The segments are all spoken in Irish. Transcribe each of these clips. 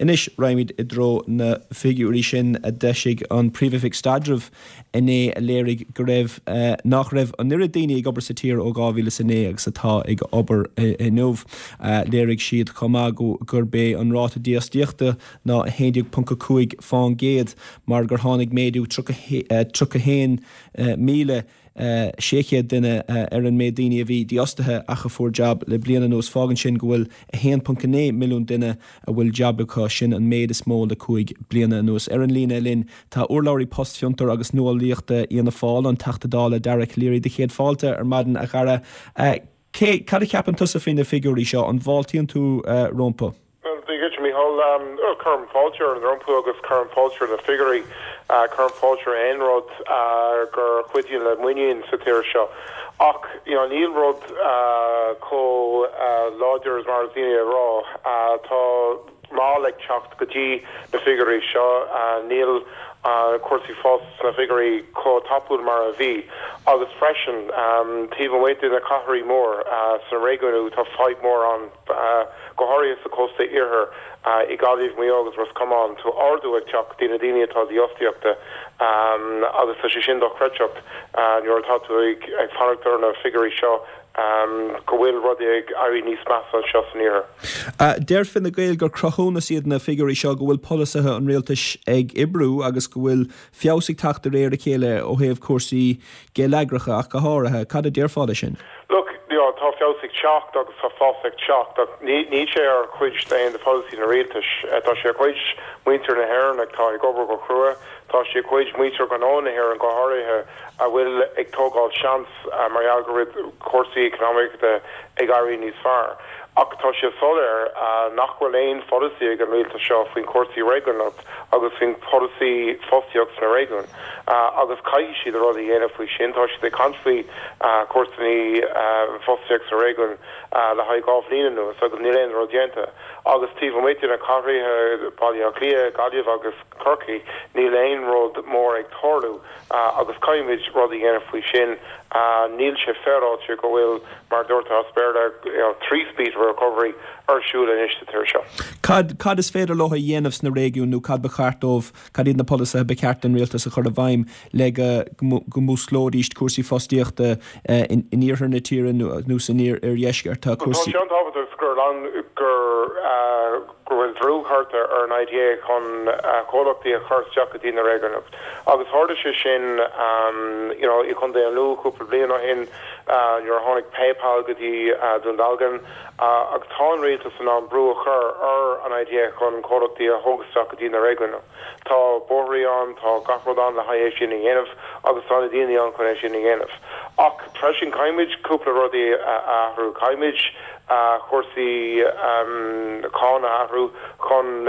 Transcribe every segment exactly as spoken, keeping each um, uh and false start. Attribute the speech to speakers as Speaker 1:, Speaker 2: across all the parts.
Speaker 1: Anois raghaimid i dtreo na figiúirí sin a d'eisigh an Príomhoifig Staidrimh inné a léirigh go raibh nach raibh an oiread daoine ag obair sa tír ó dhá mhíle is a naoi agus atá ag obair inniu. Léirigh siad chomh maith gurb é an ráta dífhostaíochta ná a haon déag ponc a cúig faoin gcéad mar gur tháinig méadú tríocha haon míle sé chéad duine ar an méid daoine a bhí dífhostaithe ach a fuair jab le bliain anuas. Fágann sin go bhfuil a haon ponc a naoi milliún duine a bhfuil jab acu, sin an méid is mó le cúig bliana anuas. Ar an líne linn tá urlabhraí Post, Fiontar agus Nuálaíochta Fhianna Fáil, an Teachta Dála Dara Calleary. Do chéad fáilte ar maidin a Dhara. Cé, cad a cheapann tusa faoi na figiúirí seo? An bhfáiltíonn tú rompu?
Speaker 2: Well, Dia duit Micheál, cuirim fáilte rompu agus cuirim fáilte na figiúirí, cuirim fáilte aon rud gur chuidíonn le muinín sa tír seo. Ach you know, níl rud chomh láidir is mar is daoine a rá. Tá moll ag teacht go dtí na figiúirí seo, níl cúrsaí fós sna figiúirí chomh tapúil mar a bhí. Agus freisin taobh amuigh de na cathracha mór sna réigiúin tá fadhb mór ann go háirithe sa cósta iarthar i Gaillimh, Maigh Eo agus Ros Comáin tá ardú ag teacht do na daoine atá dífhostaíochta agus tá sé sin dochreidte nuair atá tú ag ag fanacht ar na figiúirí seo go bhfuil rudaí ag éirí níos measa anseo san iarthar.
Speaker 1: Deir Fine Gael gur cruthúnas iad na figiúirí seo go bhfuil polasaithe an rialtais ag oibriú agus go bhfuil feabhas ag teacht de réir a chéile ó thaobh cúrsaí geilleagracha ach go háirithe. Cad a déarfá leis sin?
Speaker 2: Look, you know, tá feabhas ag teacht agus tá fás ag teacht ach ní ní sé ar chuid d'aon de pholasaí na rialtais. Tá sé ar chuid muintir na hÉireann atá ag obair go crua, tá sé chuid muintir gnó na hÉireann go háirithe a bhfuil ag tógáil seans mar gheall go bhfuil cúrsaí eacnamaíochta ag éirí níos fearr. Ach tá sé soiléir nach bhfuil aon pholasaí ag an rialtas seo faoin cúrsaí réigiúnach agus faoin polasaí fostaíocht sna réigiúin. agus caithfidh siad rud a dhéanamh faoi sin, tá siad ag caint faoi cúrsaí fostaíocht sa réigiún le haghaidh dhá bhliain anuas agus níl aon rud déanta. Agus taobh amuigh de na cathracha Baile Átha Cliath, Gaillimh agus Corcaigh, níl aon rud mór ag tarlú agus caithfimid rud a dhéanamh faoi sin. Níl sé féaráilte go bhfuil mar dúirt as Béarla three speed recovery ar siúl anois sa tír seo.
Speaker 1: Cad cad is féidir leo a dhéanamh sna réigiúin nó cad ba cheart dóibh, cad iad na polasaithe ba cheart don rialtas a chur i bhfeidhm le go go músclóidís cúrsaí fostaíochta in iarthar na tíre nó san iardheisceart tá
Speaker 2: Tá
Speaker 1: cúrsaí.
Speaker 2: sé an-tábhachtach gur gur go bhfuil brú curtha ar an IDA chun comhlachtaí a chur isteach go dtí na réigiúin. Agus tharla sé sin you know, i Contae an Lú cúpla bliain ó shin nuair a tháinig PayPal go dtí Dún Dealgan agus tá an rialtas in ann brú a chur ar an IDA chun comhlachtaí a thóg isteach go dtí na réigiúin. Tá bóithre ann tá gach rud ann le haghaidh é sin a dhéanamh agus tá na daoine ann chun é sin a dhéanamh. Ach freisin caithfimid cúpla rudaí a athrú caithfimid cúrsaí cáin a athrú chun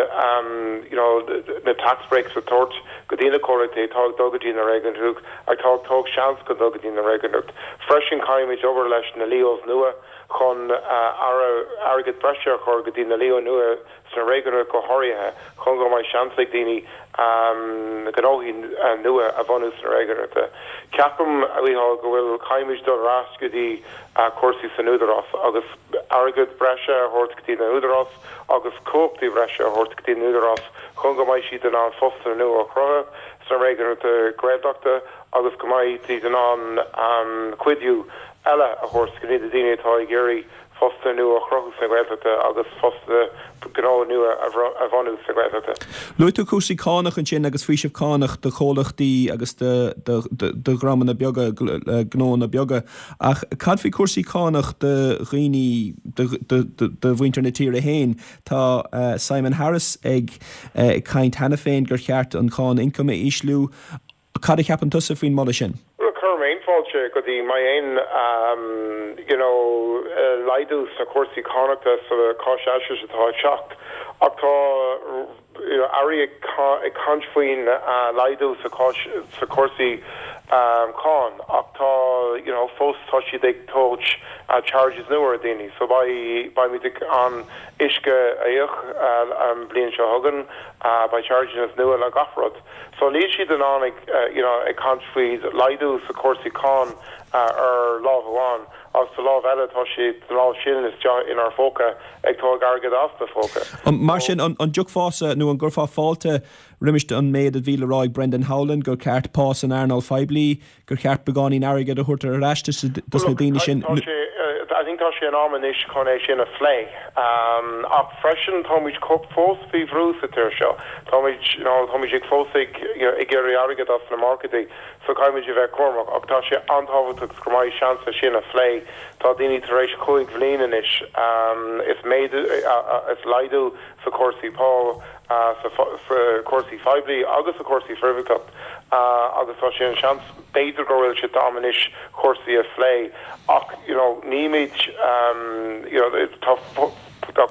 Speaker 2: you know, na tax breaks a tabhairt go dtí na comhlachtaí atá ag dul go dtí na réigiúin atá ag tóg seans go dul go dtí na réigiúin. Freisin caithfimid obair leis na LEOs nua chun airgead breise a chur go dtí na LEO nua sna réigiúin go háirithe chun go mbeidh seans ag daoine gnóthaí nua a bhunú sna réigiúin. Ceapaim a go bhfuil caithfimid dul ar ais go dtí cúrsaí san údarás agus airgead breise a thabhairt go dtí na údarás agus cumhachtaí breise a thabhairt go dtí na údarás chun go mbeidh siad in ann postanna nua a chruthú sna réigiúin Gaeltachta agus go mbeidh siad in ann cuidiú eile a thabhairt go dtí na daoine atá ag iarraidh postanna nua a chruthú sna Gaeltachta agus postanna gnó nua a bhunú sa Ghaeltachta.
Speaker 1: Luaigh tú cúrsaí cánach ansin agus faoiseamh cánach do chomhlachtaí agus do dhreamanna beaga gnónna beaga ach cad faoi cúrsaí cánach do dhaoine do mhuintir na tíre féin Tá Simon Harris ag caint cheana féin gur cheart an cháin ioncaim a ísliú cad a cheapann tusa faoin moladh sin.
Speaker 2: Cuirim fáilte go dtí má aon you know, laghdú sna cúrsaí cánachta sa cháinaisnéis atá teacht ach tá airí ag caint faoin laghdú sa sa cúrsaí cáin ach tá you know, fós tá siad ag tabhairt charges nua ar daoine, so beimid an uisce a íoc an bliain seo chugainn beidh charges nua le gach rud. So níl siad in ann ag you know, ag caint faoi laghdú sa cúrsaí cáin ar lámh amháin agus sa lámh eile tá siad an lámh sin isteach inár phóca ag tóg airgead as do phóca.
Speaker 1: Mar sin an dtiocfása nó an gcuirfeá fáilte roimis an méid a bhí le rá ag Brendan Howlin gur ceart pá san earnáil phoiblí, gur cheart beagáinín airgid a thabhairt ar ais dos na daoine sin.
Speaker 2: I think tá sé in am anois chun é sin a phlé. Um, ach freisin táimid fós faoi bhrú sa tír seo. Táimid you know, táimid ag fós ag you know, ag iarraidh airgead as na marcadaí, so caithfimid a bheith cúramach ach tá sé an-tábhachtach go mbeidh seans sin a phlé. Tá daoine tar éis cúig bhliain anois um, is méadú uh, is laghdú sa cúrsaí pá uh, sa cúrsaí poiblí agus sa cúrsaí príobháideach uh, agus tá sé an seans b'fhéidir go bhfuil sé am anois cúrsaí a phlé ach you know, nímid um, you know, tá tá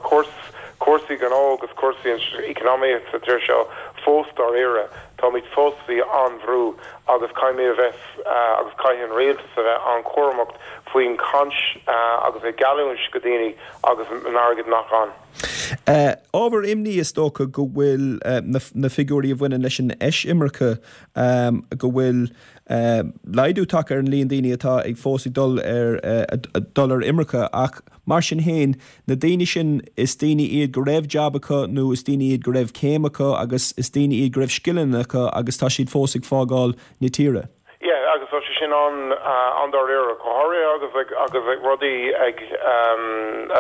Speaker 2: cúrsaí gnó agus cúrsaí economy sa tír seo fós dáiríre Táimid fós faoi an-bhrú agus caithfimid a bheith uh, agus caithfidh an rialtas a bheith an-chúramach faoin caint uh, agus ag geallúint go daoine agus an airgead nach ann.
Speaker 1: Uh, ábhar imní is dócha go bhfuil uh, na, na figiúirí a bhaineann leis an eisimirce um, go bhfuil uh, laghdú tagtha ar an líon daoine atá ag fós ag dul ar uh, dul ar imirce ach mar sin féin na daoine sin is daoine iad go raibh jab acu nó is daoine iad go raibh céim acu agus is daoine iad go raibh scileanna acu agus tá siad fós ag fágáil na tíre.
Speaker 2: Yeah, agus tá sé sin an uh, an-dáiríre go háirithe agus ag, agus ag rudaí ag um,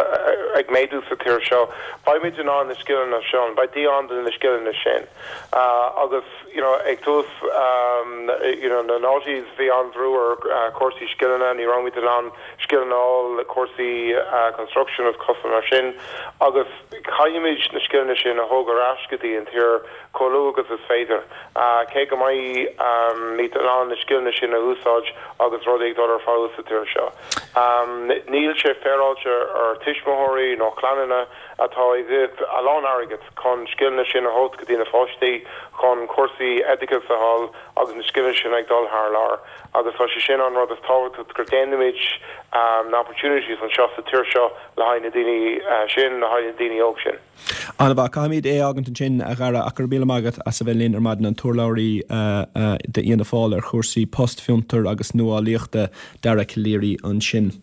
Speaker 2: ag méadú sa tír seo. Beimid in ann na scileanna sin, beidh dí an na scileanna sin. Uh, agus you know, ag tús um, you know, na noughties bhí an-bhrú ar uh, cúrsaí scileanna ní raibh in ann scileanna cúrsaí uh, construction of customer sin agus caithfimid na scileanna sin a thóg ar ais go dtí an tír chomh luath agus is féidir. Uh, cé go mbeidh um, ní an na scileanna sin a úsáid agus rudaí ag dul ar feabhas sa tír seo. Um, níl sé féaráilte ar tuismitheoirí nó clanna atá ag a lán airgead chun scileanna sin a thabhairt go dtí na páistí chun cúrsaí oideachais a fháil agus na scileanna sin ag dul thar lear. agus tá sé sin an rud is tábhachtaí gur déanaimid um, na opportunities anseo sa tír seo le haghaidh na daoine uh, sin le haghaidh na daoine óg sin.
Speaker 1: An-mhaith caithfimid é fhágaint ansin a Dhara ach míle maith agat as a bheith linn ar maidin an t-urlabhraí uh, uh, d'Fhianna Fáil ar chúrsaí post fiontar agus nuálaíochta Dara Calleary ansin.